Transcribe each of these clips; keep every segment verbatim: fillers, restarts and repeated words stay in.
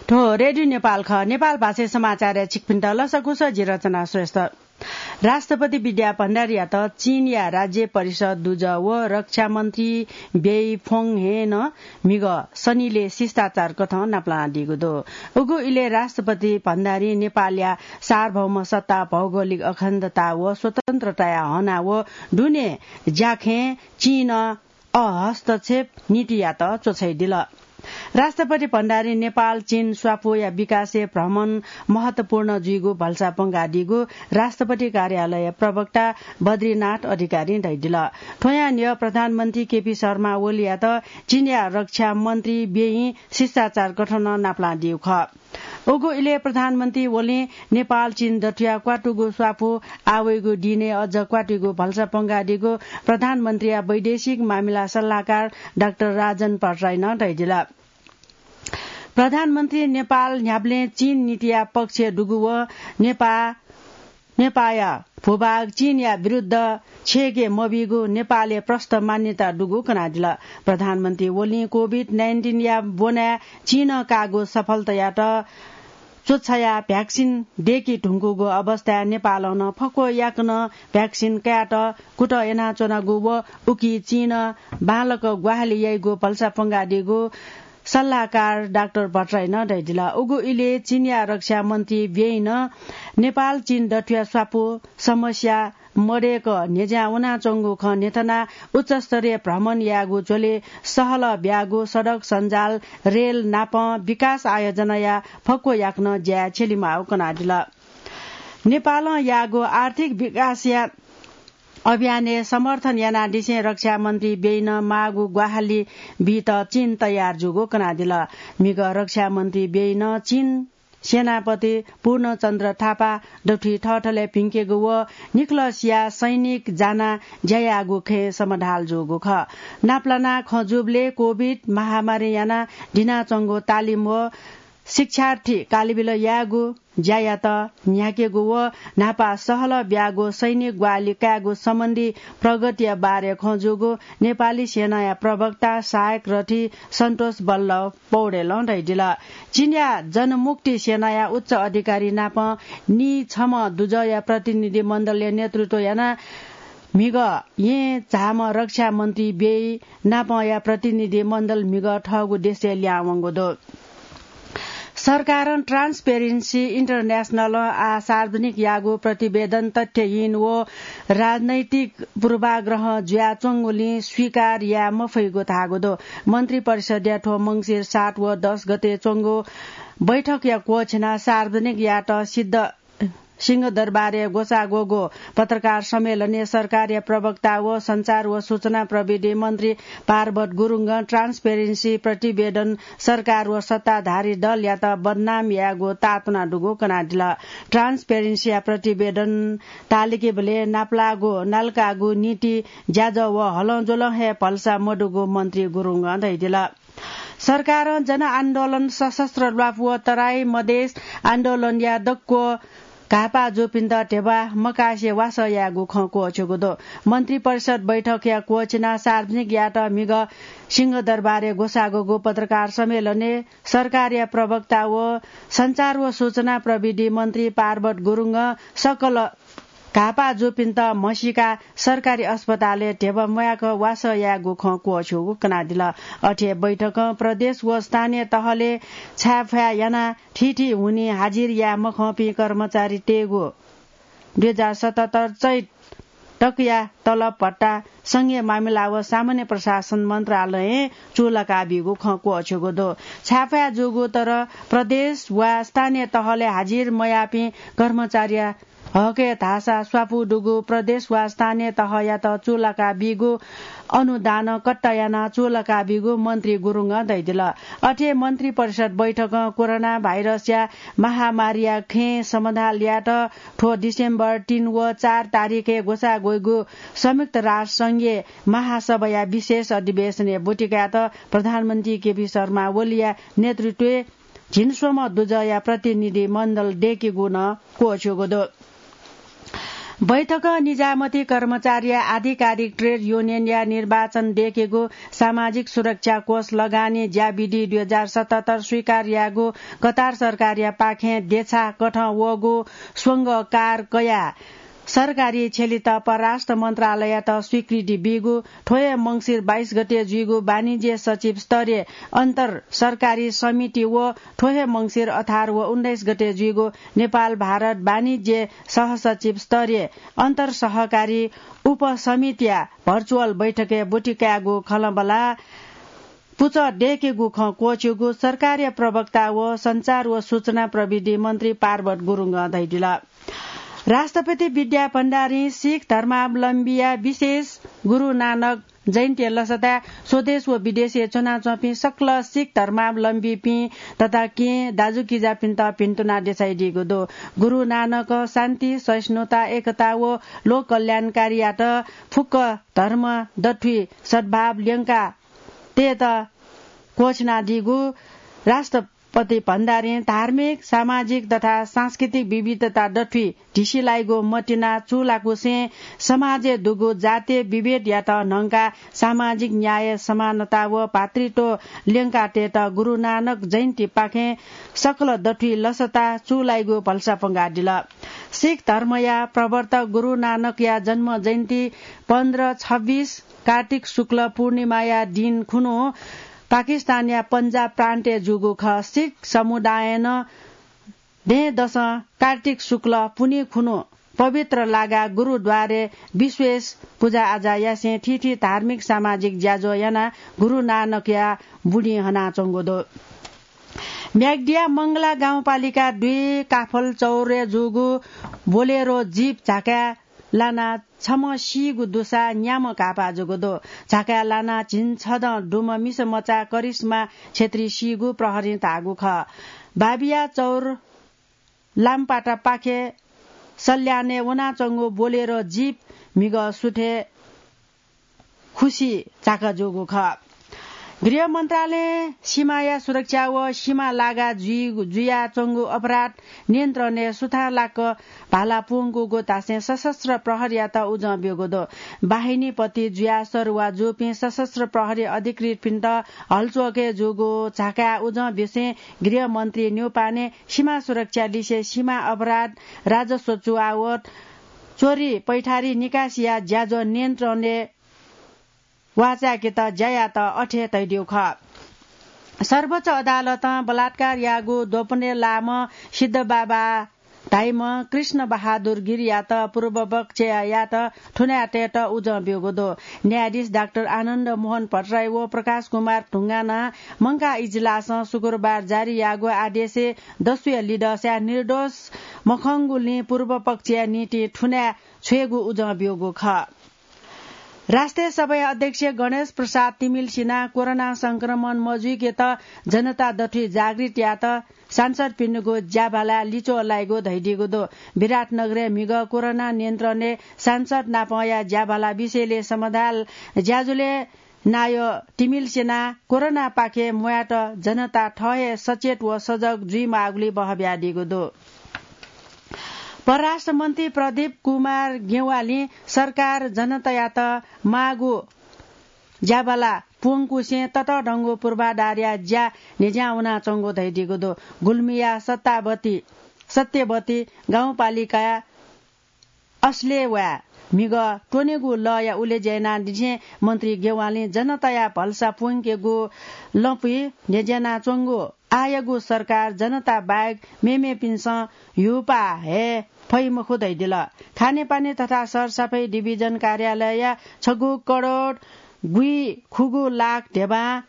थ्व रेडियो नेपाल खः। नेपाल भाषाय् समाचारय् छिकपिन्त लसकुस, जि रचना श्रेष्ठ। राष्ट्रपति विद्या भण्डारीयात चीनया राज्य परिषद दुजः व रक्षा मन्त्री बेई फोङहें नं म्हिगः शनिले शिष्टाचार कथं नापलानादीगु दु। उगु इलय् राष्ट्रपति भण्डारी नेपालया सार्वभौम सत्ता, भौगोलिक अखण्डता व स्वतन्त्रताया हना व दुने ज्याखँय् चीनं अहस्तक्षेप नीतियात च्वछाइदिल। राष्ट्रपति भण्डारी नेपाल चीन स्वापूया विकासय् भ्रमण महत्वपूर्ण जुइगु भलसा पंगादीगु राष्ट्रपति कार्यालय प्रवक्ता बद्रीनाथ अधिकारीं धयादिल। थ्वयां न्ह्यः प्रधानमन्त्री केपी शर्मा ओलीयात चीनया रक्षा मन्त्री बेइं शिष्टाचार कथं नापलानादीगु खः। उगु इलय् प्रधानमन्त्री ओलीं नेपाल चीन दथुया क्वातुगु स्वापू आवइगु दिनय् अझ क्वातुइगु भलसा पंगादीगु प्रधानमन्त्रीया वैदेशिक मामिला सल्लाहकार डाक्टर राजन भट्टराईं धयादिल। प्रधानमन्त्री नेपाल न्ह्याबलें चीन नीतिया पक्षय् दुगु व नेपा नेपाःया भूभाग चीनया विरुद्ध छेके मबीगु नेपालय् प्रष्ट मान्यता दुगु कनादिल। प्रधानमन्त्री ओलीं कोभिड नाइन्टिनया ब्वनाय् चीनं काःगु सफलतायात च्वछायाः भ्याक्सिन दय्के धुंकूगु अवस्थाय् नेपालं नं फक्व याकनं भ्याक्सिन कायेत कुतः यानाच्वनागु व उकी चीनं बांलाक ग्वाहालि याइगु भलसा पंगादीगु सल्लाहकार डाक्टर भट्टराईं धयादिल। उगु इलय् चीनया रक्षा मन्त्री बेइं नेपाल चीन दथुया स्वापू समस्या मदय्क न्ह्यज्यां वनाच्वंगु खँ न्ह्यथनाः उच्चस्तरीय भ्रमण यायेगु झ्वलय् सहलह ब्यागु सडक सञ्जाल, रेल नापं विकास आयोजनाया फक्व याकनं ज्याय् छ्यलेमाःगु कनादिल। नेपालं याःगु आर्थिक विकासया अभियानय् समर्थन यानादिसें रक्षा मन्त्री बेइं माःगु ग्वाहालि बीत चीन तयार जूगु कनादिल। म्हिगः रक्षा मन्त्री बेइं चीन सेनापति पूर्णचन्द्र थापा दथुइ थःथलय् भिंकेगु व निखलसया सैनिक जानाः ज्या याःगु खँय् समधाल जूगु खः। नापलानाः खँ जूबलय् कोभिड महामारीं यानाः दिनाच्वंगु तालिम व शिक्षार्थी कालिबिल यायेगु ज्यायात न्ह्याकेगु व न्हापा सहलह ब्यागु सैनिक ग्वाहालि कायेगु सम्बन्धी प्रगतिया बारे खँ जूगु नेपाली सेनाया प्रवक्ता सहायक रथी सन्तोष बल्लभ पौडेलं धयादिल। चीनया जनमुक्ति सेनाया उच्च अधिकारी नाप नीछम्ह दुजःया प्रतिनिधि मण्डलया नेतृत्व यानाः म्हिगः येँ झाःम्ह रक्षा मन्त्री बेइं नापंया प्रतिनिधि मण्डल म्हिगः थःगु देशय् लिहां वंगु दु। सरकारं Transparency International आः सार्वजनिक याःगु प्रतिवेदन तथ्यहीन व राजनैतिक पूर्वाग्रह जुयाच्वंगुलिं स्वीकार याये मफइगु धाःगु दु। मन्त्री परिषदया थ्व मंसिर सात व दस गते च्वंगु बैठकया क्वःछिनाः सार्वजनिक यायेत सिद्ध सिंहदरबारय् ग्वसाः ग्वःगु पत्रकार सम्मेलनय् सरकारया प्रवक्ता व सञ्चार व सूचना प्रविधि मन्त्री पार्वत गुरुङं Transparency प्रतिवेदन सरकार व सत्ताधारी दलयात बदनाम यायेगु ताःतुना दुगु कनादिल। Transparency या प्रतिवेदन तालिकेबलय् नापलाःगु नालकाःगु नीति ज्याझ्वः व हलंज्वलं हे भलसा मदुगु मन्त्री गुरुङं धयादिल। सरकारं जनआन्दोलन, सशस्त्र ल्वापु व तराई मधेस आन्दोलनया दक्व घाःपाः जूपिन्त ध्यबा मकासे वासः यायेगु खँ क्वःछ्यूगु दु। मन्त्री परिषद बैठकया क्वःछिनाः सार्वजनिक यायेत म्हिगः सिंहदरबारय् ग्वसाः ग्वःगु पत्रकार सम्मेलनय् सरकारया प्रवक्ता व सञ्चार व सूचना प्रविधि मन्त्री पार्वत गुरुङं सकल घाःपाः जूपिन्त म्हसीकाः सरकारी अस्पतालय् ध्यबा म्वायेक वासः यायेगु खँ क्वःछ्यूगु कनादिल। अथे बैठकं प्रदेश व स्थानीय तहलय् छाय्‌फाय् यानाः थीथी हुनिं हाजिर याये मखंपिं कर्मचारीतय्‌गु दुई हजार सतहत्तर चैत तकया तलब भत्ता संघीय मामिला व सामान्य प्रशासन मन्त्रालयं चूलाका बीगु खँ क्वःछ्यूगु दु। छाय्‌फाय् जूगु तर प्रदेश वा स्थानीय तहलय् हाजिर मयाःपिं कर्मचारीया हकय् धाःसा स्वापू दुगु प्रदेश वा स्थानीय तहयात चूलाका बीगु अनुदान कट्टा यानाः चूलाका बीगु मन्त्री गुरुङं धयादिल। अथे मन्त्री परिषद बैठकं कोरोना भाइरसया महामारीया खँय् समधाल यायेत थ्व डिसेम्बर तीन व चार तारिखय् ग्वसाः ग्वइगु संयुक्त राष्ट्र संघीय महासभाया विशेष अधिवेशनय् ब्वति कायेत प्रधानमन्त्री केपी शर्मा ओलीया नेतृत्वय् झिंस्वम्ह दुजःया प्रतिनिधि मण्डल दय्‌केगु नं क्वःछ्यूगु दु। बैठकं निजामती कर्मचारीया आधिकारिक ट्रेड युनियनया निर्वाचन दय्केगु सामाजिक सुरक्षा कोष लगानी ज्या विधि दुई हजार सतहत्तर स्वीकार याःगु कतार सरकारया पाखें देछाकथं वःगु स्वंगकार कयाः सरकारी छ्यलित परराष्ट्र मन्त्रालययात स्वीकृति बीगु थ्व हे मंसिर बाइस गते जुइगु वाणिज्य सचिव स्तरीय अन्तर सरकारी समिति व थ्व हे मंसिर अठार व उन्नाइस गते जुइगु नेपाल भारत वाणिज्य सहसचिव स्तरीय अन्तर सहकारी उपसमितिया भर्चुअल बैठकय् ब्वति कायेगु खँल्हाबल्हा पुचः दय्केगु खँ क्वःछिउगु सरकारया प्रवक्ता व सञ्चार व सूचना प्रविधि मन्त्री पार्वत गुरुङं धयादिल। राष्ट्रपति विद्या भण्डारीं सिख धर्मावलम्बीया विशेष गुरु नानक जयन्ती लसताय् स्वदेश व विदेशय् च्वनाच्वंपिं सकल सिख धर्मावलम्बीपिं तथा केहेँ दाजुकिजापिन्त भिन्तुना देछाइदीगु दु। गुरु नानकं शान्ति, सहिष्णुता, एकता व लोक कल्याणकारीयात फुक्क धर्म दथुइ सद्भाव ल्यंका तयेत क्वःछिनादीगु राष्ट्रपति भण्डारीं धार्मिक, सामाजिक तथा सांस्कृतिक विविधता दथुइ ढिसिलाइगु मतिना चूलाकुसें समाजय् दुगु जातीय विभेदयात न्हंकाः सामाजिक न्याय, समानता व भातृत्व ल्यंका तयेत गुरु नानक जयन्तीपाखें सकल दथुइ लसता चूलाइगु भलसा प्वंकादिल। सिख धर्मया प्रवर्तक गुरु नानकया जन्म जयन्ती पन्ध्र छब्बिस कार्तिक शुक्ल पूर्णिमाया दिन खुन्हु पाकिस्तानया पन्जाब प्रान्तय् जूगु खः। सिख समुदायं दँय्‌दसं कार्तिक शुक्ल पुन्हि खुन्हु पवित्र लागाः गुरुद्वारय् विशेष पुजाआजा यासें थीथी धार्मिक सामाजिक ज्याझ्वः यानाः गुरु नानकया बुँडि हनाच्वंगु दु। म्याग्दीया मंगला गाउँपालिका दुई काफल चौरय् जूगु बोलेरो जीप झाकाय् लानाः छम्ह सीगु दुसा न्याम्ह घाःपाः जूगु दु। झाकाय् लानाः झिंछदँ दुम्ह मिसा मचा करिश्मा छेत्री सीगु प्रहरीं धाःगु खः। बाबिया चौर लामपाटापाखे सल्यानय् वनाच्वंगु बोलेरो जीप म्हिगः सुथय् खुसि झाका जूगु खः। गृह मन्त्रालयं सीमाया सुरक्षा व सीमा लागा जुइ-, जुयाच्वंगु अपराध नियन्त्रणय् सुथांलाक भाला प्वंकूगु धासें सशस्त्र प्रहरीयात उजं ब्यूगु दु। बाहिनीपति जुयाः सरुवा जूपिं सशस्त्र प्रहरी अधिकृतपिन्त हल्चोकय् जूगु झाकाय् उजं ब्यूसें गृहमन्त्री न्यौपाने सीमा सुरक्षा लिसे सीमा अपराध, राजस्व चुहावट, चोरी पैठारी निकासिया ज्याझ्वः नियन्त्रणय् वाचाय्केत ज्या यात अथे तयादीगु खः। सर्वोच्च अदालतं बलात्कार याःगु द्वपनय् लाःम्ह सिद्धबाबा धाइम्ह कृष्ण बहादुर गिरीयात पूर्वपक्षयात थुनाय् तयेत उजं ब्यूगु दु। न्यायाधीश डाक्टर आनन्द मोहन भट्टराई व प्रकाश कुमार ढुङ्गानां मंकाः इजलासं शुक्रबार जारी याःगु आदेशय् दस्युया लिधंसाय् निर्दोष मखंगुलिं पूर्वपक्षया निंतिं थुनाय् छ्वयेगु उजं ब्यूगु खः। राष्ट्रिय सभाया अध्यक्ष गणेश प्रसाद तिमिल्सिनां कोरोना संक्रमण मजुइकेत जनता दथुइ जागृत यायेत सांसदपिनिगु ज्याभालाय् लिच्वः लाइगु धयादीगु दु। विराटनगरय् म्हिगः कोरोना नियन्त्रणय् सांसद नापंया ज्याभाला विषयलय् समदाल ज्याझ्वलय् नायः तिमिल्सिनां कोरोनापाखें म्वायेत जनता थः हे सचेत व सजग जुइमाःगुलिं बहः बियादीगु दु। परराष्ट्र मन्त्री प्रदीप कुमार गेवालीं सरकार जनतायात माःगु ज्याभाला प्वंकुसें ततःधंगु पूर्वाधारया ज्या न्ह्यज्यां वनाच्वंगु धयादीगु दु। गुल्मीया सत्तावती, सत्यवती गाउँपालिकाया असलेवाय् म्हिगः त्वनेगु लःया उलेज्या यानादिसें मन्त्री गेवालीं जनताया भलसा प्वंकेगु लँपुइ न्ह्यज्यानाच्वंगु आःयागु सरकार जनता बाहेक मेमेपिन्सं ह्यूपाः हये फइ मखु धयादिल। खानेपानी तथा सरसफाई डिभिजन कार्यालयया छगू करोड गुइ खुगू लाख धेबां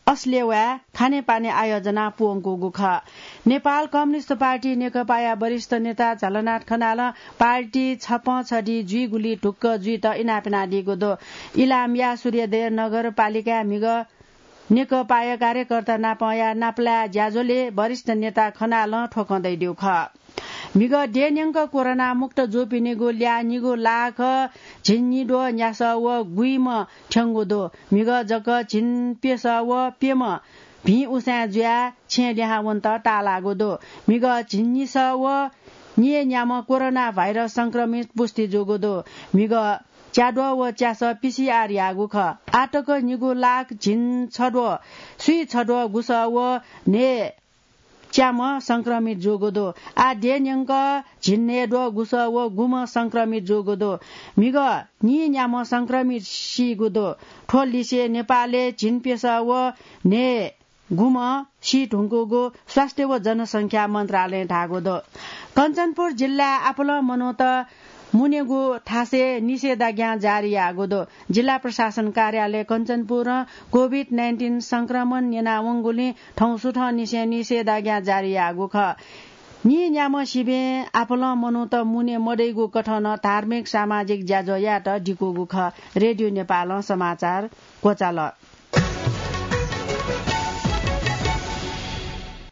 असलेवाय् खानेपानी आयोजना प्वंकूगु खः। नेपाल कम्युनिस्ट पार्टी नेकपाया वरिष्ठ नेता झलनाथ खनालं पार्टी छपं छधी जुइगुलिइ ढुक्क जुइत इनाप यानादीगु दु। इलामया सूर्यदेव नगरपालिकाय् म्हिगः नेकपाया कार्यकर्ता नापंया नापलाये ज्याझ्वलय् वरिष्ठ नेता खनालं थ्व खँ धयादीगु खः। म्हिगः देय्‌न्यंक कोरोना मुक्त जूपिनिगु ल्याः निगू लाख झिंनिद्वः न्यासः व गुइम्ह थ्यंगु दु। म्हिगः जक झिंप्यसः व प्यम्ह भिं उसाँय् जुयाः छेँय् लिहां वनेत ताःलाःगु दु। म्हिगः झिंनिसः व निय् न्याम्ह कोरोना भाइरस संक्रमित पुष्टि जूगु दु। म्हिगः च्याद्वः व च्यासः पीसीआर याःगु खः। आःतक निगू लाख झिंछद्वः स्वीछद्वः गुसः व न्हय् च्याम्ह संक्रमित जूगु दु। आः देय् न्यंक झिंन्हय्द्वः गुसः व गुम्ह संक्रमित जूगु दु। म्हिगः निय् न्याम्ह संक्रमित सीगु दु। थ्व लिसे नेपालय् झिंप्यसः व न्हय् गुम्ह सी धुंकूगु स्वास्थ्य व जनसंख्या मन्त्रालयं धाःगु दु। कञ्चनपुर जिल्लाय् आपालं मनूत मुनेगु थासय् निषेधाज्ञा जारी याःगु दु। जिल्ला प्रशासन कार्यालय कञ्चनपुरं कोभिड नाइन्टिन संक्रमण न्यनावंगुलिं थौं सुथंनिसें निषेधाज्ञा जारी याःगु खः। निय् न्याम्ह सिबें आपालं मनूत मुने मदइगु कथं नं धार्मिक सामाजिक ज्याझ्वः यायेत दिकूगु खः। रेडियो नेपालं समाचार क्वचाल।